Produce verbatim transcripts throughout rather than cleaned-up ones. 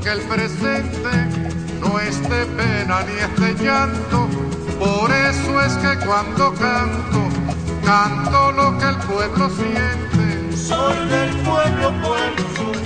que el presente no es de pena ni es de llanto. Por eso es que cuando canto, canto lo que el pueblo siente. Soy del pueblo, pueblo soy.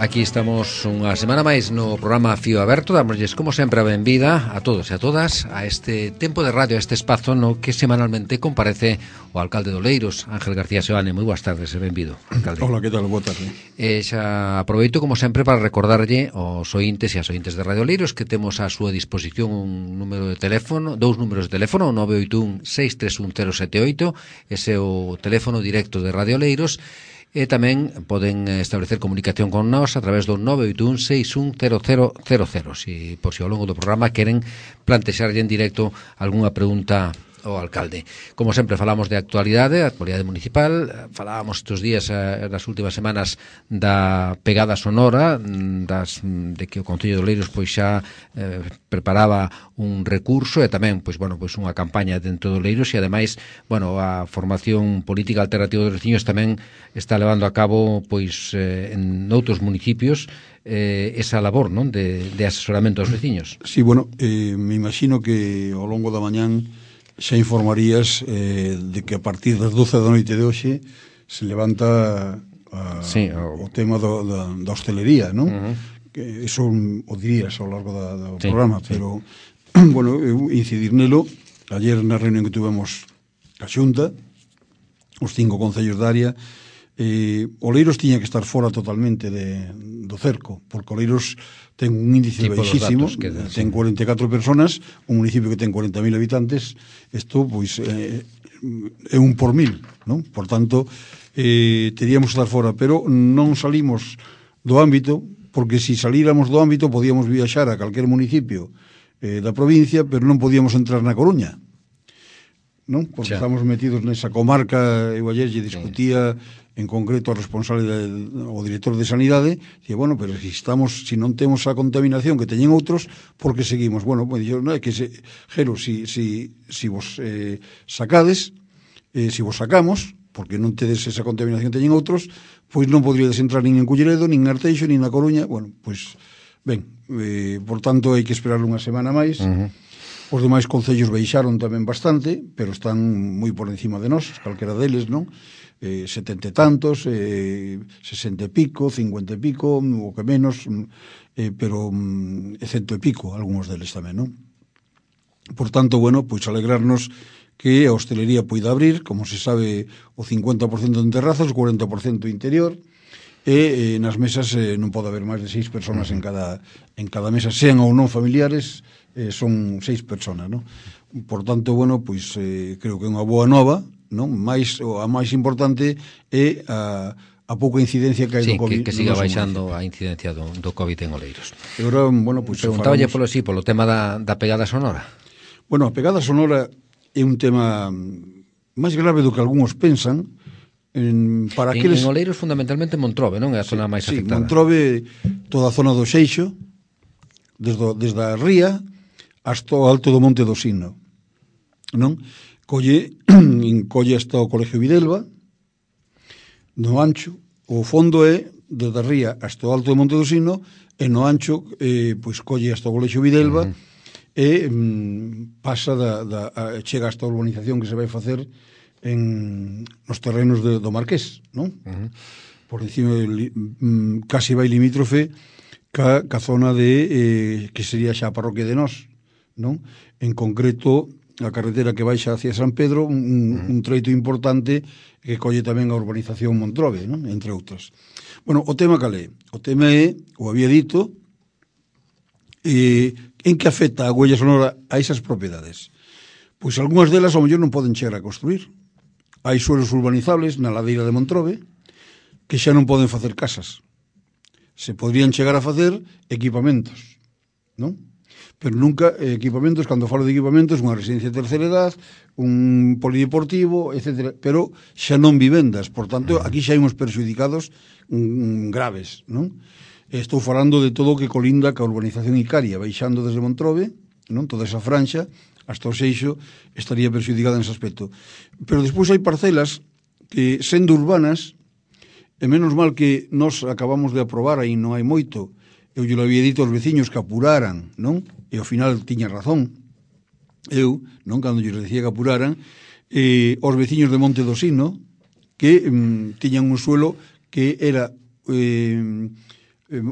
Aquí estamos unha semana máis no programa Fío Aberto. Damosles, como sempre, a benvida a todos e a todas a este tempo de radio, a este espazo no que semanalmente comparece o alcalde de Oleiros, Ángel García Seoane. Moi boas tardes e benvido, alcalde. Hola, que tal? Boa tarde. E xa aproveito, como sempre, para recordarlle aos ointes e as ointes de Radio Oleiros que temos á súa disposición un número de teléfono, dous números de teléfono, nove oito un seis tres un cero sete oito, ese é o teléfono directo de Radio Oleiros. E tamén poden establecer comunicación con nós a través do nove oito un seis un cero cero cero cero, si por si ao longo do programa queren plantexarlle en directo algunha pregunta ao alcalde. Como sempre, falamos de actualidade, actualidade municipal. Falábamos estes días, nas últimas semanas, da pegada sonora, das, de que o Concello de Oleiros pois xa eh, preparaba un recurso e tamén pois bueno, pois unha campaña dentro de Oleiros, e ademais, bueno, a formación política alternativa dos veciños tamén está levando a cabo pois eh, en outros municipios eh, esa labor, non, de, de asesoramento aos veciños. Sí, bueno, eh, me imagino que ao longo da mañán xa informarías eh, de que a partir das doce da noite de hoxe se levanta a, sí, o... o tema do, da, da hostelería, non? Uh-huh. Que eso o dirías ao largo da, do sí, programa, sí. Pero, bueno, eu incidir nelo. Ayer na reunión que tuvemos a Xunta, os cinco concellos da área, eh, Oleiros tiña que estar fora totalmente de, do cerco, porque Oleiros ten un índice sí, baixísimo, que, ten cuarenta e catro personas, un municipio que ten cuarenta mil habitantes. Isto, pois, eh, é un por mil, non? Por tanto, eh, teríamos que estar fora, pero non salimos do ámbito, porque se salíramos do ámbito podíamos viaxar a calquer municipio eh, da provincia, pero non podíamos entrar na Coruña, non? Porque xa. Estamos metidos nesa comarca. Eu ayer lle discutía en concreto o responsable de, o director de Sanidade, dice, bueno, pero se estamos, si non temos a contaminación que teñen outros, por que seguimos? Bueno, pues dixeron, no, é que se, Jero, si, si, si vos eh, sacades, eh, si vos sacamos, porque non tedes esa contaminación que teñen outros, pois non podríades entrar nin en Culleredo, nin en Arteixo, nin na Coruña. Bueno, pois, ben, eh, por tanto, hai que esperar unha semana máis. Uh-huh. Os demais concellos baixaron tamén bastante, pero están moi por encima de nós, calquera deles, non? Eh, setenta e tantos, eh, sesenta e pico, cincuenta e pico, o que menos, eh, pero eh, cento e pico, algúns deles tamén, non? Por tanto, bueno, pois alegrarnos que a hostelería poida abrir, como se sabe, o cincuenta por cento en terrazas, o cuarenta por cento interior, e eh, nas mesas eh, non pode haber máis de seis persoas en cada, en cada mesa, sean ou non familiares, eh, son seis persoas, non? Por tanto, bueno, pois eh, creo que é unha boa nova, non? Mais, a máis importante é a, a pouca incidencia que hai sí, do COVID. Que, que siga baixando a incidencia do, do COVID en Oleiros. E agora, bueno, pois preguntáballe polo sí, polo tema da, da pegada sonora. Bueno, a pegada sonora é un tema máis grave do que algúns pensan. En, para en, aqueles... en Oleiros fundamentalmente Montrobe, non? É a zona sí, máis sí, afectada. Montrobe, toda a zona do Seixo, desde, desde a ría hasta o alto do Monte do Sino, non? Colle, colle hasta o Colegio Videlva, no ancho, o fondo é desde a ría hasta o alto do Monte do Sino, e no ancho, eh, pois colle hasta o Colegio Videlva, uh-huh. e mm, pasa da, da, a, chega hasta a urbanización que se vai facer en nos terrenos de, do Marqués, non? Uh-huh. Por encima, li, mm, casi vai limítrofe ca, ca zona de eh, que sería xa a parroquia de Nós, non? En concreto, a carretera que baixa hacia San Pedro, un, uh-huh. un treito importante que colle tamén a urbanización Montrobe, non? Entre outras. Bueno, o tema cal é? O tema é, o había dito, eh, en que afecta a huella sonora a esas propiedades. Pois algunhas delas ao mellor non poden chegar a construir. Hai suelos urbanizables na ladeira de Montrobe que xa non poden facer casas. Se podrían chegar a facer equipamentos, non? Pero nunca eh, equipamentos, cando falo de equipamentos, unha residencia de terceira edad, un polideportivo, etcétera, pero xa non vivendas. Por tanto, aquí xa hai uns perxudicados mm, graves, non? Estou falando de todo o que colinda ca urbanización Icaria, baixando desde Montrobe, non? Toda esa franxa, hasta o Seixo, estaría perxudicada nese aspecto. Pero despois hai parcelas que, sendo urbanas, E menos mal que nós acabamos de aprobar, aí non hai moito, eu lle lo había dito aos veciños que apuraran, non? E ao final tiña razón. Eu, non, cando lle decía que apuraran, eh, os veciños de Monte do Sino, que mm, tiñan un suelo que era eh,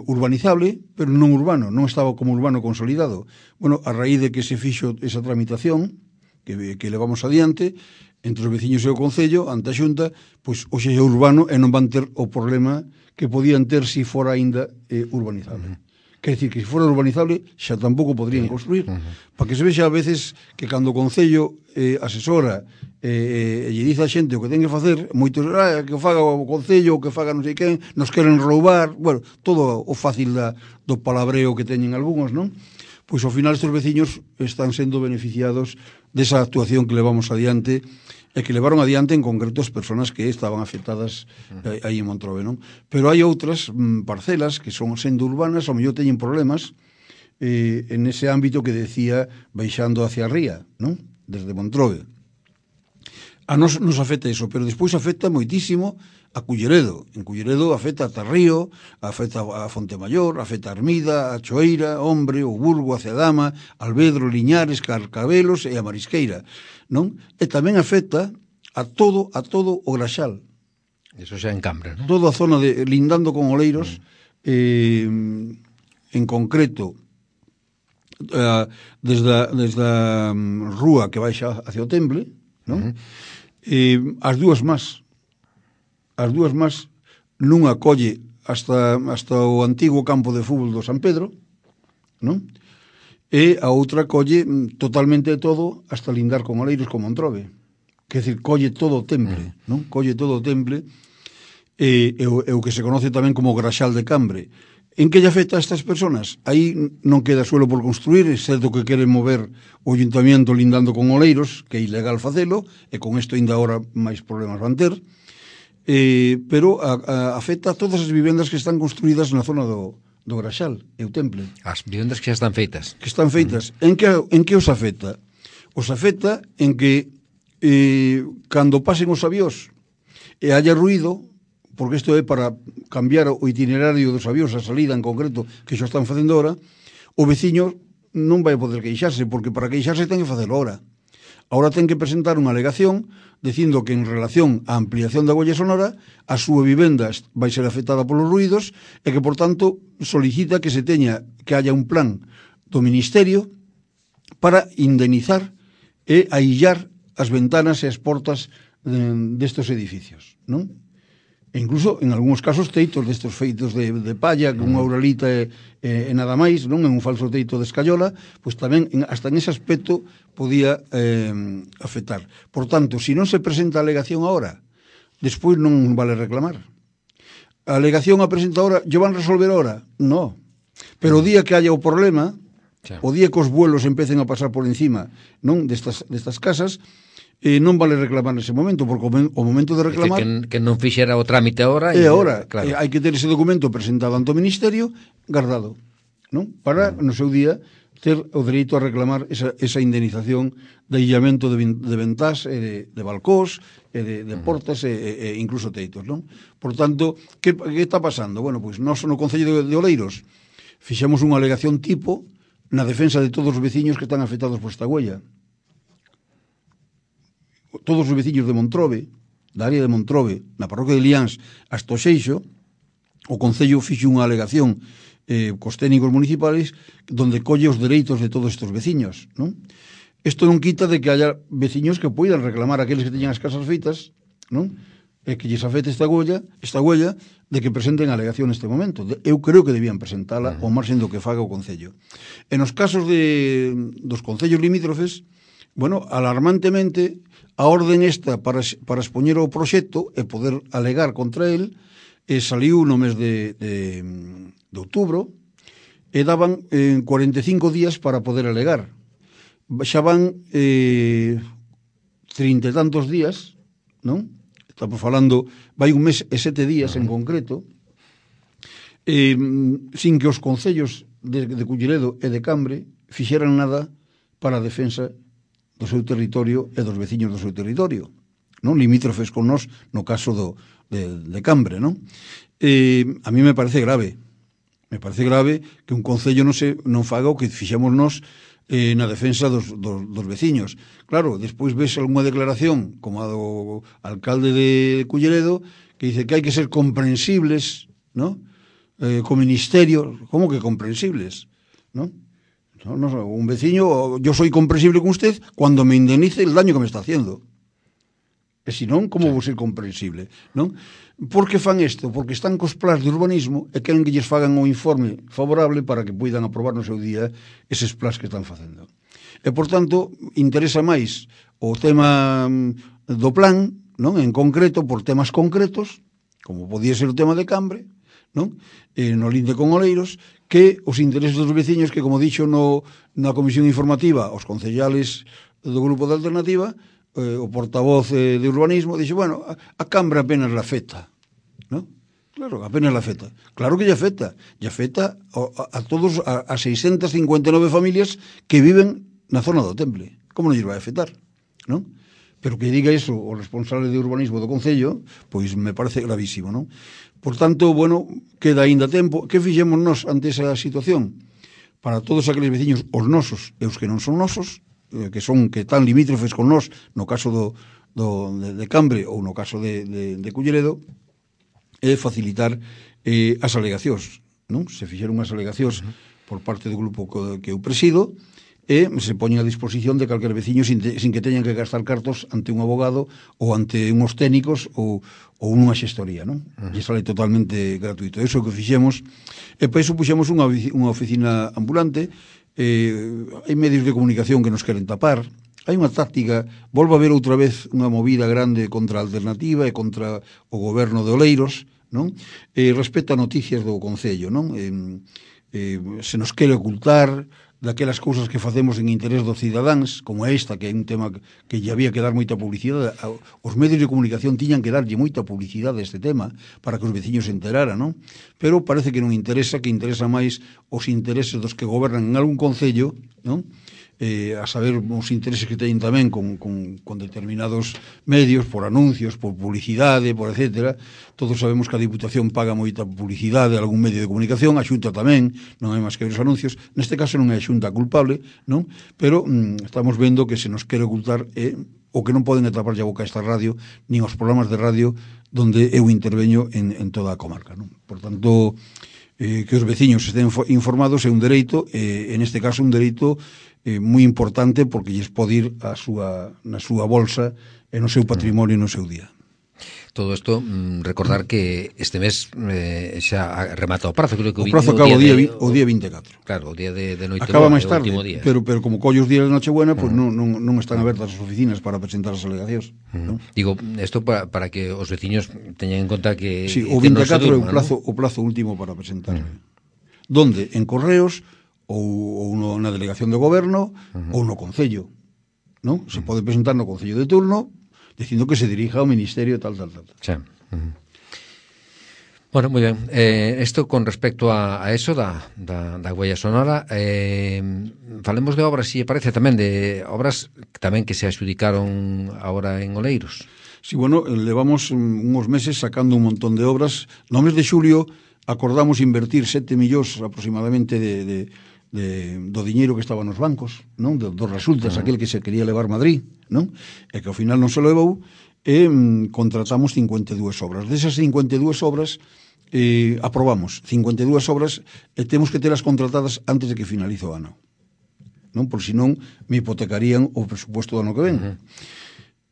urbanizable, pero non urbano, non estaba como urbano consolidado. Bueno, a raíz de que se fixo esa tramitación, que, que levamos adiante, entre os veciños e o Concello, ante a Xunta, pois hoxe é urbano e non van ter o problema que podían ter se fora aínda eh, urbanizable. Uh -huh. Quer dicir que se fora urbanizable xa tampouco podrían construir. Uh -huh. Para que se vexa a veces que cando o Concello eh, asesora eh, e lle dice a xente o que ten que facer, moitos, ah, que o faga o Concello, o que faga non sei quen, nos queren roubar, bueno, todo o fácil da, do palabreo que teñen algúns, non? Pois ao final estes veciños están sendo beneficiados desa actuación que levamos adiante e que levaron adiante en concreto as persoas que estaban afectadas eh, aí en Montrobe, non? Pero hai outras mm, parcelas que son sendo urbanas, ao mellor teñen problemas eh, en ese ámbito que decía baixando hacia a ría, non? Desde Montrobe. A nos nos afecta iso, pero despois afecta moitísimo a Culleredo. En Culleredo afecta a Tarrío, afecta a Fontemayor, afecta a Armida, a Choeira, Hombre, o Burgo, a Cedama, Alvedro, Liñares, Carcabelos e a Marisqueira, non? E tamén afecta a todo a todo o Graxal. Eso xa en Cambra, non? Toda a zona de lindando con Oleiros, mm. eh, en concreto, eh, desde a, desde a um, rúa que baixa hacia o Temple, non? Mm. Eh, as dúas más as dúas más nunha colle hasta, hasta o antigo campo de fútbol do San Pedro, non? E a outra colle totalmente todo hasta lindar con Oleiros con Montrobe. Quer dizer, colle todo o Temple, mm. non? Colle todo o Temple e, e, o, e o que se conoce tamén como Graxal de Cambre. En que lle afecta a estas personas? Aí non queda suelo por construir, excepto que queren mover o ayuntamiento lindando con Oleiros, que é ilegal facelo, e con isto ainda agora máis problemas van ter, eh, pero a, a, afecta a todas as vivendas que están construídas na zona do, do Graxal e o Temple. As vivendas que xa están feitas. Que están feitas. Uh -huh. En que, en que os afecta? Os afecta en que eh, cando pasen os avións e haya ruido, porque isto é para cambiar o itinerario dos avións, a salida en concreto, que xa están facendo ahora, o veciño non vai poder queixarse, porque para queixarse ten que facelo ahora. Ahora ten que presentar unha alegación dicindo que en relación á ampliación da golla sonora a súa vivenda vai ser afectada polos ruidos e que, por tanto, solicita que se teña que haya un plan do Ministerio para indemnizar e aillar as ventanas e as portas destes edificios, non? E incluso, en algúns casos, teitos destes feitos de, de palla, con unha uralita e, e, e nada máis, non? En un falso teito de escayola, pois tamén, en, hasta en ese aspecto, podía eh, afectar. Por tanto, se non se presenta a alegación ahora, despois non vale reclamar. A alegación a presenta ahora, ¿yo van a resolver ahora? No. Pero o día que haya o problema, sí. O día que os vuelos empecen a pasar por encima, non? Destas, destas casas, e non vale reclamar nese momento, porque o momento de reclamar... Que, que non fixera o trámite agora... E agora, claro. Hai que ter ese documento presentado ante o Ministerio, guardado, non? Para, no seu día, ter o dereito a reclamar esa, esa indemnización de illamento de, de ventás, e de, de balcós, e de, de portas, e, e, e incluso teitos, non? Por tanto, que, que está pasando? Bueno, pois nós no Concello de, de Oleiros fixemos unha alegación tipo na defensa de todos os veciños que están afectados por esta huella. Todos os veciños de Montrobe, da área de Montrobe, na parroquia de Liáns, hasta o Xeixo, o Concello fixe unha alegación eh, cos técnicos municipales donde colle os dereitos de todos estes veciños, non? Isto non quita de que haya veciños que poidan reclamar aqueles que teñan as casas feitas, non? E que lles afecte esta huella, esta huella de que presenten a alegación neste momento. Eu creo que debían presentala ao marxen do que faga o Concello. En os casos de, dos concellos limítrofes, bueno, alarmantemente, a orden esta para, para expoñer o proxecto e poder alegar contra el eh, saliu no mes de, de, de outubro e daban eh, cuarenta e cinco días para poder alegar. Xa van eh, trinta e tantos días, non? Estamos falando, vai un mes e sete días en concreto, eh, sin que os concellos de, de Culleredo e de Cambre fixeran nada para a defensa do seu territorio e dos veciños do seu territorio, non? Limítrofes con nós no caso do, de, de Cambre, non? Eh, a mí me parece grave, me parece grave que un concello non, se, non faga o que fixemos nós eh, na defensa dos, dos, dos veciños. Claro, despois ves algunha declaración como a do alcalde de Culleredo que dice que hai que ser comprensibles, ¿no? Eh, co ministerio, como que comprensibles, ¿no? No, no, un veciño, yo soy comprensible con usted cuando me indemnice el daño que me está haciendo. E se non, como sí. vou ser comprensible, non? Por que fan isto? Porque están cos plans de urbanismo e queren que lles fagan un informe favorable para que poidan aprobar no seu día eses plans que están facendo. E, por tanto, interesa máis o tema do plan, non? En concreto, por temas concretos, como podía ser o tema de Cambre, non? E no linde con Oleiros, que os intereses dos veciños que, como dixo no, na comisión informativa, os concellales do grupo de Alternativa, eh, o portavoz eh, de urbanismo, dixe, bueno, a, a Cambre apenas la afecta, ¿no? Claro, apenas la afecta. Claro que lle afecta. Lle afecta a, a todos, a, a seiscientas cincuenta e nove familias que viven na zona do Temple. Como non lles vai afectar, non? Pero que diga iso o responsable de urbanismo do Concello, pois me parece gravísimo, non? Por tanto, bueno, queda aínda tempo. Que fixemos nós ante esa situación? Para todos aqueles veciños, os nosos e os que non son nosos, eh, que son que están limítrofes con nós, no caso do, do, de, de Cambre ou no caso de, de, de Culleredo, é facilitar eh, as alegacións, non? Se fixeron as alegacións uh-huh. por parte do grupo que eu presido, e se poñen a disposición de calquer veciño sin, te, sin que teñan que gastar cartos ante un abogado ou ante unhos técnicos ou, ou unha xestoría, non? Uh-huh. E sale totalmente gratuito. Eso que fixemos, e para iso puxemos unha, unha oficina ambulante, eh, hai medios de comunicación que nos queren tapar, hai unha táctica, volve a haber outra vez unha movida grande contra a Alternativa e contra o goberno de Oleiros, non? E respecto a noticias do Concello, non? Eh, eh, se nos quere ocultar daquelas cousas que facemos en interés dos cidadáns, como esta, que é un tema que lle había que dar moita publicidade. Os medios de comunicación tiñan que darlle moita publicidade a este tema para que os veciños se enteraran, non? Pero parece que non interesa, que interesa máis os intereses dos que gobernan en algún concello, non? Eh, a saber os intereses que teñen tamén con, con, con determinados medios, por anuncios, por publicidade, por etcétera. Todos sabemos que a Diputación paga moita publicidade a algún medio de comunicación, a Xunta tamén, non hai máis que ver os anuncios. Neste caso non é a Xunta culpable, non? Pero mm, estamos vendo que se nos quere ocultar eh, o que non poden atraparlle a boca a esta radio, nin os programas de radio donde eu interveño en, en toda a comarca, non? Por tanto, eh, que os veciños estén informados é un dereito, eh, en este caso un dereito eh, moi importante porque lles pode ir a súa, na súa bolsa e no seu patrimonio e no seu día. Todo isto, mm, recordar que este mes eh, xa remata o prazo, creo que o prazo acaba o día, de, o día vinte e catro. Claro, o día de, de noite acaba máis tarde, día. pero, pero como collo os días de Nochebuena, pues uh-huh. non, non, non están abertas as oficinas para presentar as alegacións. Uh-huh. ¿No? Digo, isto para, para que os veciños teñan en conta que... Sí, o vinte e catro é o plazo, ¿no? o plazo último para presentar. Uh-huh. Donde? En correos ou, ou no, na delegación de goberno uh-huh. ou no concello, non? Se uh-huh. pode presentar no concello de turno dicindo que se dirija ao ministerio tal, tal, tal. Sí. Uh-huh. Bueno, moi ben. Eh, esto con respecto a, a eso da, da, da huella sonora, eh, falemos de obras, si parece tamén de obras tamén que se adjudicaron agora en Oleiros. Sí, bueno, levamos uns meses sacando un montón de obras. No mes de xulio acordamos invertir sete millóns aproximadamente de, de, de, do diñeiro que estaba nos bancos, non? Dos do resultas, uh-huh. aquel que se quería levar Madrid, non? E que ao final non se levou, e mm, contratamos cincuenta e dúas obras. Desas cincuenta e dúas obras eh, aprobamos cincuenta e dúas obras e temos que telas contratadas antes de que finalice o ano, non? Por si non me hipotecarían o presupuesto do ano que ven. Uh-huh.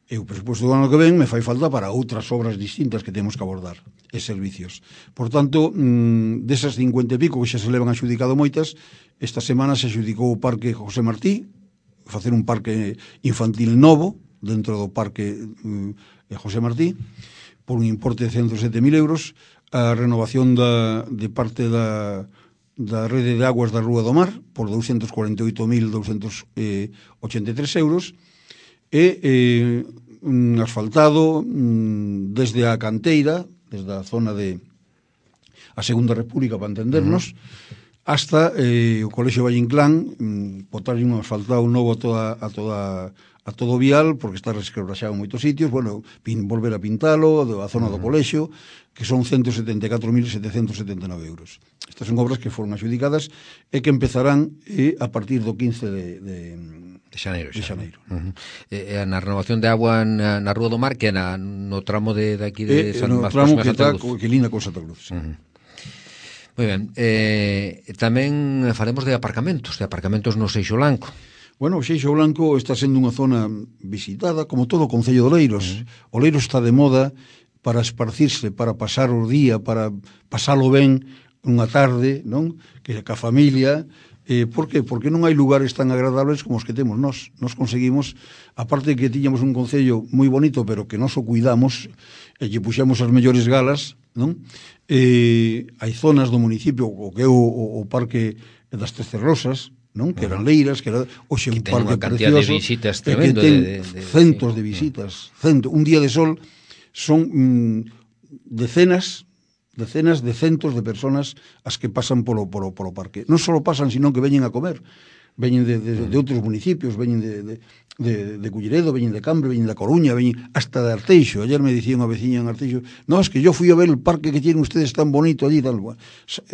E o presupuesto do ano que ven me fai falta para outras obras distintas que temos que abordar e servicios. Por tanto, mmm, desas cincuenta e pico que xa se levan adjudicado moitas, esta semana se adjudicou o Parque José Martí, facer un parque infantil novo dentro do Parque mm, José Martí, por un importe de ciento sete mil euros, a renovación da, de parte da, da rede de aguas da Rúa do Mar, por doscientos cuarenta e oito mil doscientos ochenta e tres euros, e eh, un asfaltado mm, desde a canteira, desde a zona de a Segunda República, para entendernos, uh-huh. hasta eh, o Colexio Valle Inclán, mm, botarlle un asfaltado novo a toda, a toda a todo o vial, porque está resquebraxado en moitos sitios, bueno, pin, volver a pintalo, a zona do colexio, que son ciento setenta e catro mil setecentos setenta e nove euros. Estas son obras que foron adjudicadas e que empezarán eh, a partir do quince de, de, de xaneiro. De xaneiro. Uh -huh. E, na renovación de agua na, na Rúa do Mar, que é na, no tramo de, de aquí de eh, San no tramo que está que linda con Santa Cruz. Uh -huh. Moi ben. Eh, tamén faremos de aparcamentos, de aparcamentos no Seixo Blanco. Bueno, o Seixo Blanco está sendo unha zona visitada, como todo o Concello de Oleiros. Uh-huh. Oleiros está de moda para esparcirse, para pasar o día, para pasalo ben unha tarde, non? Que ca familia. Eh, por que? Porque non hai lugares tan agradables como os que temos nós. Nos conseguimos, aparte de que tiñamos un concello moi bonito, pero que nos o cuidamos, e lle puxemos as mellores galas, non? Eh, hai zonas do municipio, o que é o, o, o Parque das Trece Rosas, non? Que eran leiras, que era hoxe un parque precioso, de visitas tremendo, que ten de, de, de, centos sí. de visitas, cento, un día de sol son mm, decenas decenas de centos de personas as que pasan polo, polo, polo parque. Non só pasan, sino que veñen a comer. Veñen de, de, de outros municipios, veñen de, de, de, de Culleredo, veñen de Cambre, veñen da Coruña, veñen hasta de Arteixo. Ayer me dicía unha veciña en Arteixo, no, es que yo fui a ver el parque que tienen ustedes tan bonito allí, tal.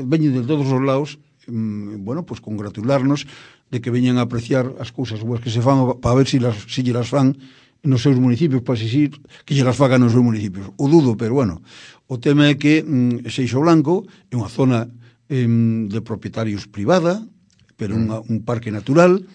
Veñen de todos os lados. Bueno, pues congratularnos de que veñan a apreciar as cousas boas que se fan para ver se si las, si las fan nos seus municipios, para exigir que lle las fagan nos seus municipios. O dudo, pero bueno, o tema é que mm, Seixo Blanco é unha zona eh, de propietarios privada, pero unha, un parque natural,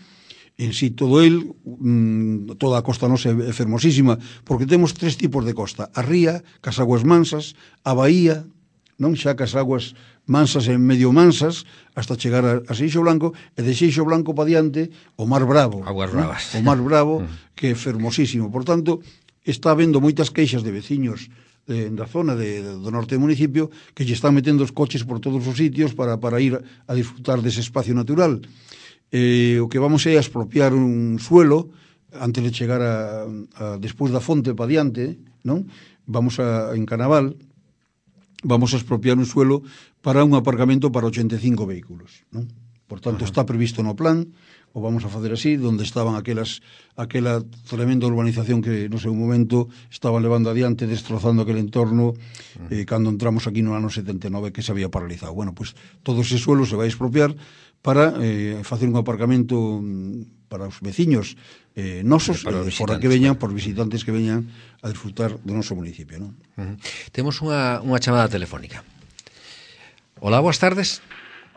en sí todo el, mm, toda a costa nosa é fermosísima, porque temos tres tipos de costa: a ría, cas aguas mansas, a baía, non xa cas aguas mansas e medio mansas, hasta chegar a, a Seixo Blanco, e de Seixo Blanco para diante o Mar Bravo. Aguas Bravas. ¿no? O Mar Bravo, que é fermosísimo. Por tanto, está habendo moitas queixas de veciños de, da zona de, de, do norte do municipio que lle están metendo os coches por todos os sitios para, para ir a disfrutar dese espacio natural. Eh, o que vamos é a expropiar un suelo antes de chegar a, a despois da fonte para diante, non? Vamos a, en Canaval, vamos a expropiar un suelo para un aparcamento para ochenta e cinco vehículos, non? Por tanto, está previsto no plan, o vamos a facer así, donde estaban aquelas aquela tremenda urbanización que no seu momento estaban levando adiante, destrozando aquel entorno, eh, cando entramos aquí no ano setenta e nove, que se había paralizado. Bueno, pues todo ese suelo se vai expropiar para eh, facer un aparcamento para os veciños eh, nosos, eh, fora que veñan, por visitantes que veñan a disfrutar do noso municipio, non? Uh -huh. Temos unha, unha chamada telefónica. Hola, boas tardes.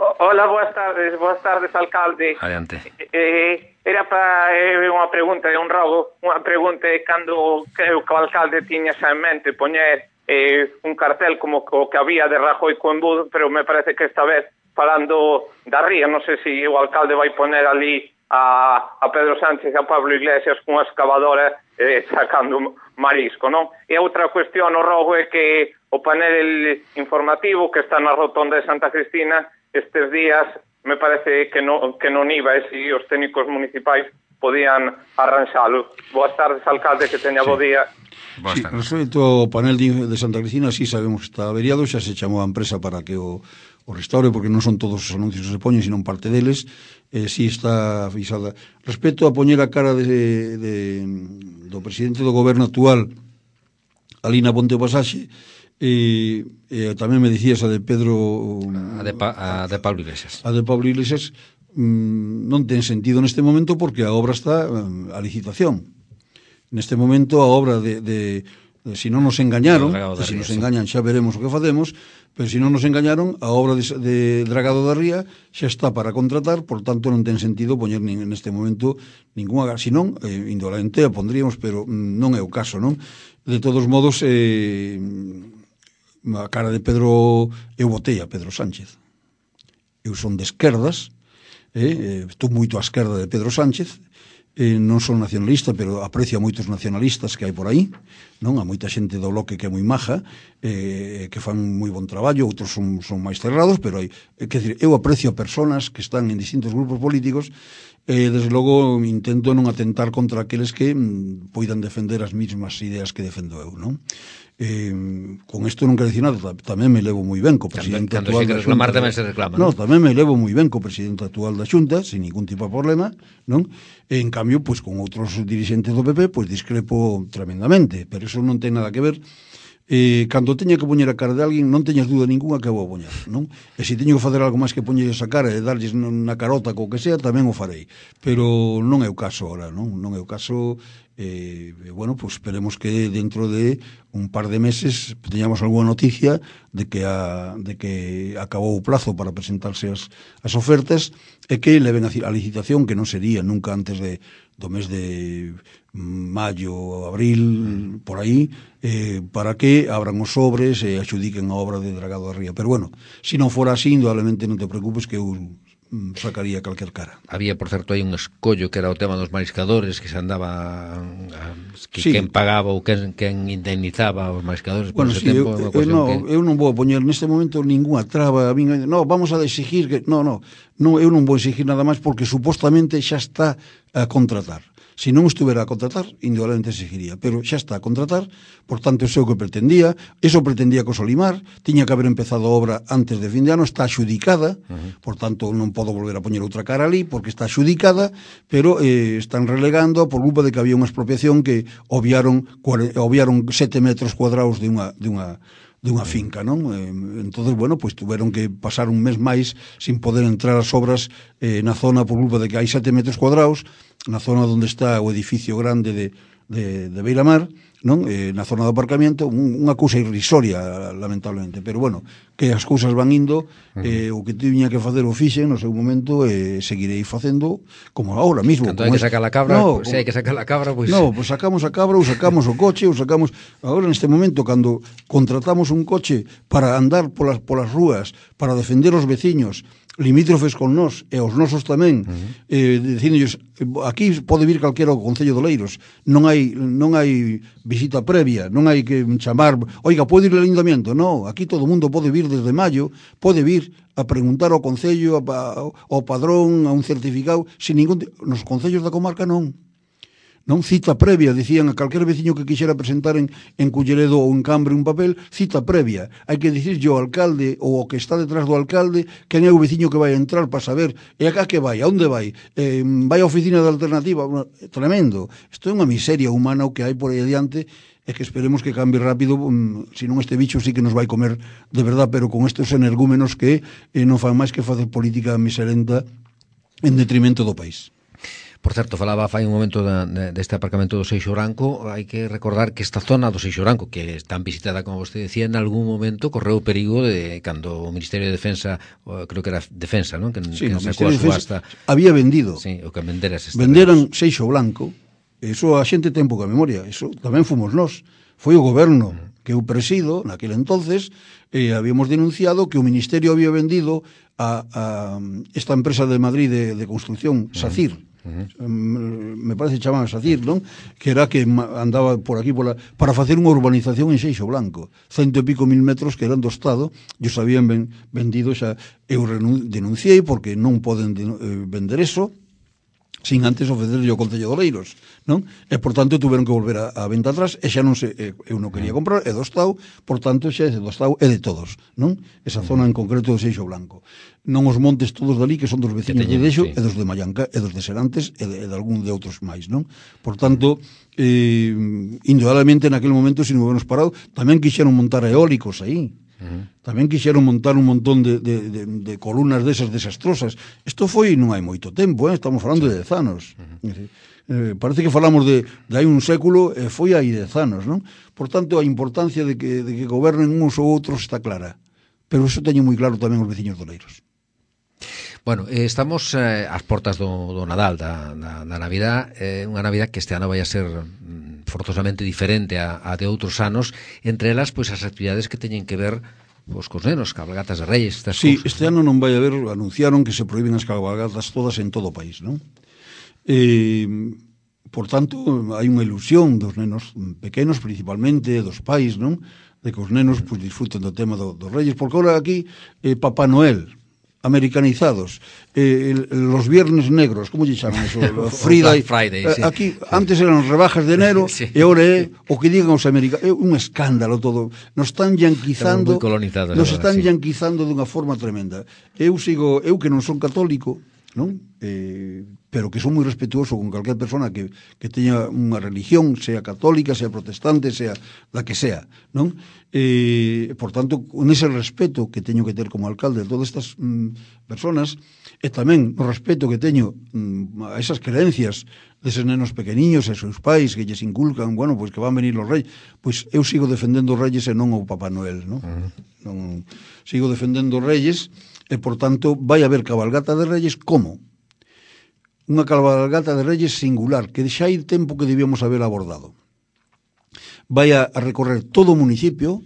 Hola, boas tardes, boas tardes, alcalde. Adiante. Eh, era para eh, unha pregunta de un robo, unha pregunta de cando creo que o alcalde tiña xa en mente poñer eh, un cartel como o que había de Rajoy co embudo, pero me parece que esta vez falando da ría, non sei se o alcalde vai poner ali a, a Pedro Sánchez e a Pablo Iglesias cunha excavadora eh, sacando marisco, non? E outra cuestión, o rogo, é que o panel informativo que está na rotonda de Santa Cristina estes días me parece que non, que non iba, e se os técnicos municipais podían arranxalo. Boas tardes, alcalde, que teña sí. bo día. Sí, respecto ao panel de, de Santa Cristina, sí sabemos que está averiado, xa se chamou a empresa para que o, o restaure, porque non son todos os anuncios que se poñen, sino parte deles, eh, sí está avisada. Respecto a poñer a cara de, de, do presidente do goberno actual ali na Ponte Pasaxe, e, e tamén me dicías a de Pedro a de, pa, a de Pablo Iglesias a de Pablo Iglesias mm, non ten sentido neste momento, porque a obra está a licitación. Neste momento a obra de, de, de si non nos engañaron, de se si nos engañan xa veremos o que facemos, pero se si non nos engañaron, a obra de, de Dragado da Ría xa está para contratar, por tanto non ten sentido poñer nin, neste momento ninguna, senón eh, indolente a pondríamos, pero mm, non é o caso, non? De todos modos, eh, a cara de Pedro, eu votei a Pedro Sánchez. Eu son de esquerdas, eh, estou moito á esquerda de Pedro Sánchez, eh, non son nacionalista, pero aprecio a moitos nacionalistas que hai por aí, non? A moita xente do bloque que é moi maja, eh, que fan moi bon traballo, outros son, son máis cerrados, pero hai, eh, que decir, eu aprecio a personas que están en distintos grupos políticos, e, eh, desde logo, intento non atentar contra aqueles que mm, poidan defender as mesmas ideas que defendo eu, non? Eh, con isto non quero dicir nada, tamén me levo moi ben co presidente cando actual se da reclamar Xunta. tamén se reclama, No, non? tamén me levo moi ben co presidente actual da Xunta, sin ningún tipo de problema, non? E, en cambio, pois con outros dirixentes do P P, pois discrepo tremendamente, pero eso non ten nada que ver. Eh, cando teña que poñer a cara de alguén, non teñas dúda ninguna que vou a poñer, non? E se teño que facer algo máis que poñerles a cara e darlles na carota co que sea, tamén o farei, pero non é o caso ahora, non? Non é o caso. Eh, bueno, pues esperemos que dentro de un par de meses teñamos alguna noticia de que a, de que acabou o plazo para presentarse as, as ofertas e que leven a, a licitación, que non sería nunca antes de, do mes de maio, abril, por aí, eh, para que abran os sobres e axudiquen a obra de Dragado da Ría. Pero bueno, se non fora así, indudablemente non te preocupes que eu sacaría calquer cara. Había, por certo, aí un escollo que era o tema dos mariscadores, que se andaba a, que sí. quen pagaba ou quen, quen indemnizaba os mariscadores por bueno, ese sí, tempo. Eu, eu, no, que... eu non vou poñer neste momento ninguna traba, a min, no, vamos a exigir que, no, no, no, eu non vou exigir nada máis porque supostamente xa está a contratar. Se non estuvera a contratar, indudablemente exigiría, pero xa está a contratar, por tanto, eso é o que pretendía, eso pretendía co Solimar, tiña que haber empezado a obra antes de fin de ano, está axudicada, uh-huh. Por tanto, non podo volver a poñer outra cara ali, porque está axudicada, pero eh, están relegando por culpa de que había unha expropiación que obviaron, obviaron sete metros cuadrados de unha, de unha de unha finca, non? Eh, entonces, bueno, pues tuveron que pasar un mes máis sin poder entrar as obras eh, na zona por culpa de que hai sete metros cuadrados, na zona onde está o edificio grande de, de, de Beiramar, non? Eh, na zona do aparcamiento, un, unha cousa irrisoria, lamentablemente, pero bueno, que as cousas van indo, eh, o que tiña que facer o fixen no seu momento, e eh, seguirei facendo como agora mismo. Canto hai que sacar a cabra, no, pues, se hai que sacar a cabra, pois... Pues... No, pois pues sacamos a cabra, ou sacamos o coche, ou sacamos... Agora, neste momento, cando contratamos un coche para andar polas, polas rúas, para defender os veciños, limítrofes con nós, e os nosos tamén, uh-huh. eh, dicindolles, aquí pode vir calquera ao Concello de Oleiros, non hai non hai visita previa, non hai que chamar, oiga, pode ir o ayuntamiento? No, aquí todo o mundo pode vir desde maio, pode vir a preguntar ao Concello, ao padrón, a un certificado, sin ningún... Nos concellos da comarca non. Non, cita previa, dicían a calquer veciño que quixera presentar en, en Culleredo ou en Cambre un papel, cita previa. Hai que dicirlle ao alcalde ou ao que está detrás do alcalde quen é o veciño que vai entrar para saber, e acá que vai, a onde vai, eh, vai á oficina de alternativa, tremendo. Isto é unha miseria humana o que hai por aí adiante, e que esperemos que cambie rápido, um, senón este bicho sí que nos vai comer de verdad, pero con estes energúmenos que eh, non fan máis que facer política miserenta en detrimento do país. Por certo, falaba fai un momento da, de, deste aparcamento do Seixo Branco. Hai que recordar que esta zona do Seixo Branco, que é tan visitada como vostede decía, en algún momento correu o perigo de cando o Ministerio de Defensa, creo que era Defensa, non? Que, sí, que no, sacou a subasta, había vendido. Sí, o que venderas venderan Seixo Branco. Eso a xente ten pouca memoria. Eso tamén fomos nós. Foi o goberno uh-huh. que eu presido naquele entonces, e habíamos denunciado que o Ministerio había vendido a, a esta empresa de Madrid de, de construcción, uh-huh. SACIR. Uh-huh. Me parece que chamaban SACIR, non? Que era que andaba por aquí por la, para facer unha urbanización en Seixo Branco, cento e pico mil metros que eran do Estado, e os habían ben, vendido xa. Eu denunciei porque non poden de, eh, vender eso sin antes ofrecerlle ao Concello de Oleiros, non? E, por tanto, tuveron que volver a, a venta atrás, e xa non se, eu non quería comprar, é do Estado, por tanto, xa é do Estado, é de todos, non? Esa zona en concreto de Seixo Branco. Non os montes todos dali, que son dos veciños de Dexo, sí. E dos de Mallanca, e dos de Serantes, e de, e de algún de outros máis, non? Por tanto, eh, indudablemente, naquele momento, se non hubiéramos parado, tamén quixeron montar eólicos aí, Uh-huh. tamén quixeron montar un montón de, de, de, de columnas desas desastrosas. Isto foi non hai moito tempo, eh? Estamos falando sí. de dez anos. Uh-huh. eh, parece que falamos de, de hai un século, e eh, foi hai dez anos, non? Por tanto, a importancia de que, de que gobernen uns ou outros está clara, pero iso teño moi claro tamén os veciños de Oleiros. Bueno, eh, estamos eh, ás portas do, do Nadal, da, da, da Navidad, eh, unha Navidad que este ano vai a ser mm, forzosamente diferente a, a de outros anos, entre elas, pois, as actividades que teñen que ver pois, cos nenos, cabalgatas de Reyes, estas sí, cousas. Este ano non vai haber, anunciaron que se prohíben as cabalgatas todas en todo o país, non? Eh, por tanto, hai unha ilusión dos nenos pequenos, principalmente, dos pais, non? De que os nenos, pois, disfruten do tema do, dos Reyes, porque agora aquí, eh, Papá Noel, americanizados, eh, el, los viernes negros, como lle chaman eso? Friday, Friday, eh, sí. Aquí, antes eran rebajas de enero, Sí. e agora é o que digan os americanos, é un escándalo todo. Nos están yanquizando, Estamos moi colonizados nos agora, están sí. yanquizando dunha forma tremenda. Eu sigo, eu que non son católico, non? Eh, pero que son moi respetuoso con calquer persona que, que teña unha religión, sea católica, sea protestante, sea la que sea, non? Eh, por tanto, con ese respeto que teño que ter como alcalde de todas estas mm, personas, e tamén o respeto que teño mm, a esas creencias deses nenos pequeniños e seus pais que lles inculcan, bueno, pois que van venir os reis, pois eu sigo defendendo os reyes e non o Papá Noel, non? Uh-huh. Non sigo defendendo os reyes e, por tanto, vai haber cabalgata de reyes como? Unha cabalgata de reyes singular, que xa hai tempo que debíamos haber abordado. Vai a recorrer todo o municipio,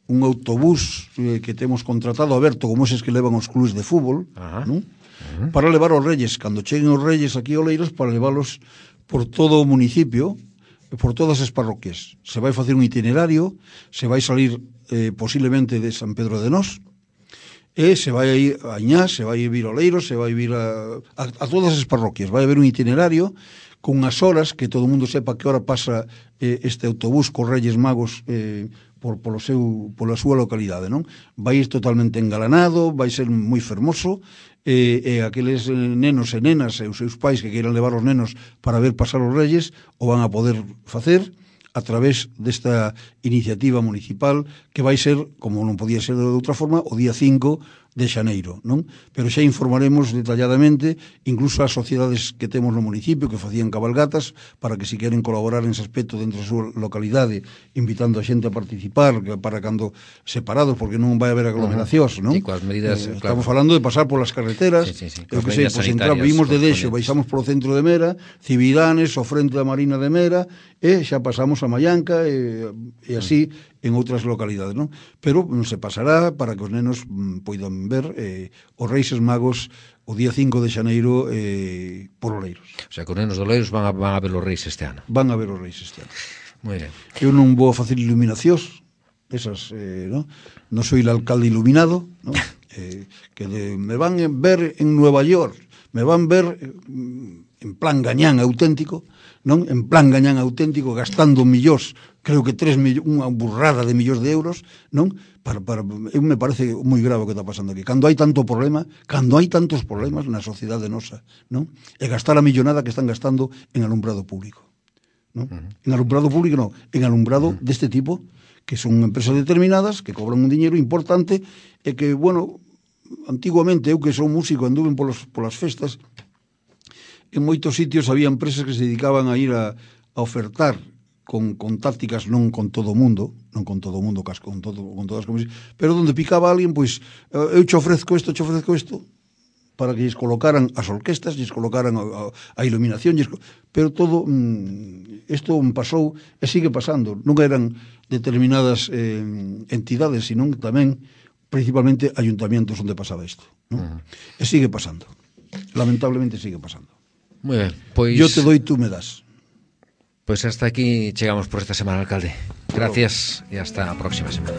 un autobús eh, que temos contratado aberto, como eses que levan os clubes de fútbol, uh-huh. non? Uh-huh. Para levar os reyes, cando cheguen os reyes aquí a Oleiros, para leválos por todo o municipio, por todas as parroquias. Se vai facer un itinerario, se vai salir eh, posiblemente de San Pedro de Nós, e se vai a ir a Añás, se vai a vir a Oleiros, se vai a vir a, a, a todas as parroquias. Vai haber un itinerario con unhas horas, que todo o mundo sepa que hora pasa eh, este autobús cos Reyes Magos eh, por, polo seu, pola súa localidade, non? Vai ir totalmente engalanado, vai ser moi fermoso, e, e aqueles nenos e nenas e os seus pais que queiran levar os nenos para ver pasar os Reyes o van a poder facer a través desta iniciativa municipal que vai ser, como non podía ser de outra forma, o día cinco de xaneiro, non? Pero xa informaremos detalladamente incluso as sociedades que temos no municipio que facían cabalgatas para que si queren colaborar en ese aspecto dentro da súa localidade, invitando a xente a participar para cando separados, porque non vai haber aglomeracións, non? Sí, coas medidas, eh, claro. Estamos falando de pasar polas carreteras, sí, sí, sí, eu que sei, pois entrar, vimos de Deixo, baixamos polo centro de Mera, Cividanes, o frente da Marina de Mera, e xa pasamos a Mallanca e, e así en outras localidades, non? Pero non se pasará para que os nenos mm, poidan ver eh, os Reixes Magos o día cinco de xaneiro eh, por Oleiros. O sea, que os nenos de Oleiros van a, van a ver os reis este ano. Van a ver os Reis este ano. Moi ben. Eu non vou a facer iluminacións, esas, eh, non? Non soy el alcalde iluminado, non? Eh, que de, me van a ver en Nueva York, me van ver eh, en plan gañán auténtico, non? En plan gañán auténtico, gastando millóns, creo que tres millóns, unha burrada de millóns de euros, non? Para, para, eu me parece moi grave o que está pasando aquí. Cando hai tanto problema, cando hai tantos problemas na sociedade nosa, non? E gastar a millonada que están gastando en alumbrado público, non? Uh-huh. En alumbrado público non, en alumbrado uh-huh. deste tipo, que son empresas determinadas, que cobran un diñeiro importante, e que, bueno, antiguamente, eu que son músico, anduve polos, polas festas, en moitos sitios había empresas que se dedicaban a ir a, a ofertar con, con tácticas non con todo o mundo, non con todo o mundo, con, todo, con todas as comisiones, pero donde picaba alguén, pois, eu che ofrezco isto, che ofrezco isto, para que lles colocaran as orquestas, lles colocaran a, a, a iluminación, lles, pero todo, isto mm, pasou e sigue pasando. Non eran determinadas eh, entidades, sino tamén, principalmente, ayuntamientos onde pasaba isto, non? Uh-huh. E sigue pasando. Lamentablemente sigue pasando. Moi ben, pois... Yo te doy, tú me das. Pois hasta aquí chegamos por esta semana, alcalde. Gracias e hasta a próxima semana.